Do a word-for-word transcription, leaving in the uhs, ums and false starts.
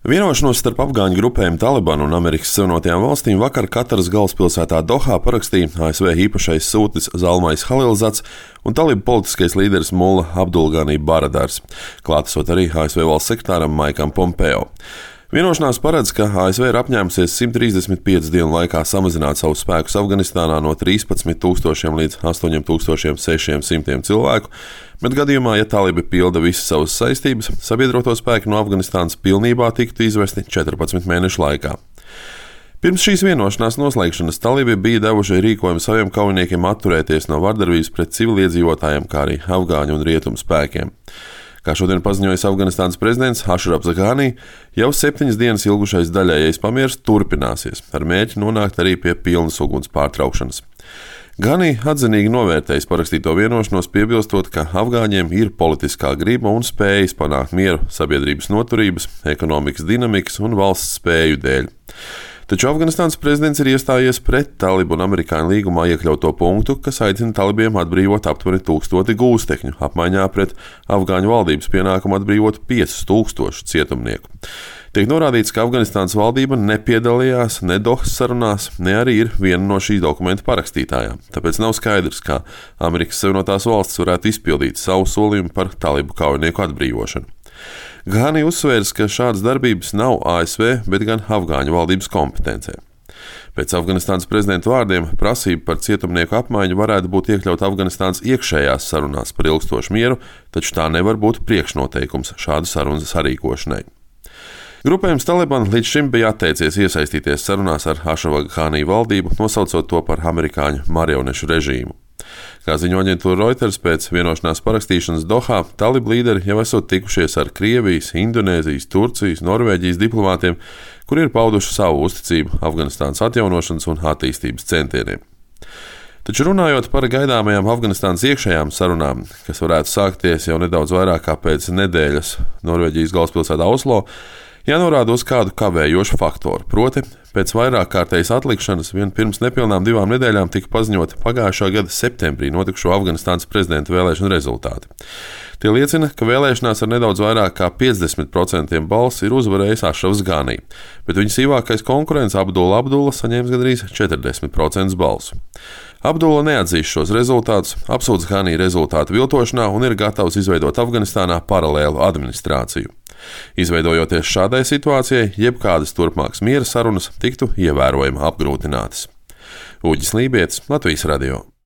Vienošanos starp afgāņu grupējumu Talibanu un Amerikas Savienotajām valstīm vakar Kataras galvaspilsētā Dohā parakstīja A S V īpašais sūtnis Zalmais Halilzats un talibu politiskais līderis Mulla Abdulgani Baradars, klātesot arī A S V valsts sekretāram Maikam Pompeo. Vienošanās paredz, ka A S V ir apņēmusies simt trīsdesmit piecu dienu laikā samazināt savus spēkus Afganistānā no trīspadsmit tūkstošiem līdz astoņiem tūkstošiem sešiem simtiem cilvēku, bet gadījumā, ja talibi pilda visas savas saistības, sabiedroto spēki no Afganistānas pilnībā tiktu izvesti četrpadsmit mēnešu laikā. Pirms šīs vienošanās noslēgšanas talibi bija devuši rīkojumu saviem kaujiniekiem atturēties no vardarbības pret civiliedzīvotājiem, kā arī afgāņu un rietumu spēkiem. Kā šodien paziņojis Afganistānas prezidents Ashraf Ghani, jau septiņas dienas ilgušais daļējais pamieris turpināsies, ar mērķi nonākt arī pie pilnas uguns pārtraukšanas. Ghani atzinīgi novērtējis parakstīto vienošanos, piebilstot, ka afgāņiem ir politiskā griba un spējas panākt mieru sabiedrības noturības, ekonomikas dinamikas un valsts spēju dēļ. Taču Afganistānas prezidents ir iestājies pret talibu un amerikāņu līgumā iekļauto punktu, kas aicina talibiem atbrīvot aptuveni tūkstoti gūstekņu, apmaiņā pret afgāņu valdības pienākumu atbrīvot piecus tūkstošus cietumnieku. Tiek norādīts, ka Afganistānas valdība nepiedalījās ne Dohas sarunās, ne arī ir viena no šī dokumenta parakstītājām, tāpēc nav skaidrs, kā Amerikas Savienotās valstis varētu izpildīt savu solījumu par talibu kaujinieku atbrīvošanu. Ghani uzsvērs, ka šādas darbības nav A S V, bet gan afgāņu valdības kompetencē. Pēc Afganistānas prezidenta vārdiem prasība par cietumnieku apmaiņu varētu būt iekļauta Afganistānas iekšējās sarunās par ilgstošu mieru, taču tā nevar būt priekšnoteikums šādu sarunu sarīkošanai. Grupējums Taliban līdz šim bija atteicies iesaistīties sarunās ar Ašrafa Ghani valdību, nosaucot to par amerikāņu marionešu režīmu. Kā ziņo aģentūra Reuters, pēc vienošanās parakstīšanas Dohā talibu līderi jau esot tikušies ar Krievijas, Indonēzijas, Turcijas, Norvēģijas diplomātiem, kuri ir pauduši savu uzticību Afganistānas atjaunošanas un attīstības centieniem. Taču runājot par gaidāmajām Afganistānas iekšējām sarunām, kas varētu sākties jau nedaudz vairāk kā pēc nedēļas Norvēģijas galvaspilsētā Oslo, jānorāda uz kādu kavējošu faktoru, proti, pēc vairāk kārtējas atlikšanas vien pirms nepilnām divām nedēļām tika paziņoti pagājušā gada septembrī notikušo Afganistānas prezidenta vēlēšanu rezultāti. Tie liecina, ka vēlēšanās ar nedaudz vairāk kā piecdesmit procentiem balss ir uzvarējis Ašrafs Ghani, bet viņa sīvākais konkurents Abdulla Abdulla saņēmis gandrīz četrdesmit procentus balsu. Abdulla neatzīst šos rezultātus, apsūdz Ghani rezultātu viltošanā un ir gatavs izveidot Afganistānā paralēlu administrāciju. Izveidojoties šādai situācijai, jebkādas turpmākas miera sarunas tiktu ievērojami apgrūtinātas. Uģis Lībietis, Latvijas radio.